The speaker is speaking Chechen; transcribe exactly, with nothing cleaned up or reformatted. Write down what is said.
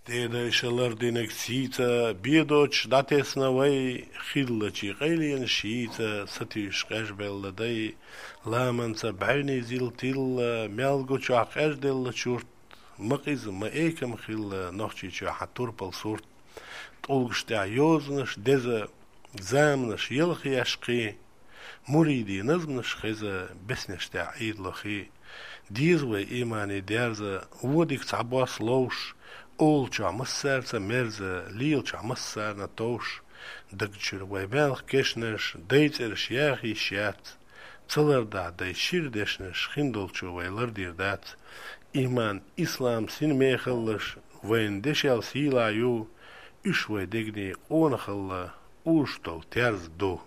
Деда иша лардинаг сийца, бедоч датесна вай, хиллачи къайленаш йийца, сатиш къежбелла дай, ламанца бавни зил тилла, мялгуча къежделла чурт, ма къиза, ма экам хилла, нохчича хьа турпал сурт. ТӀулгаш тӀа йозанаш деза, заманаш ялх яшкхи, муриди назманаш хеза, беснеш тӀа Ӏийдлахи. Деза вай имани дерза, водик цхьа бос ловш, олча массарца мерза, лелча массарна товш. Дагчур вай мелх кешнаш, дайцерш яхи шац. Цаларда дай шир дешнаш хиндолчу вай лардир дац. Иман, ислам син мехаллаш, вайн дешел сийла ю, уьш вай дегни къона халла, уж тол терз ду.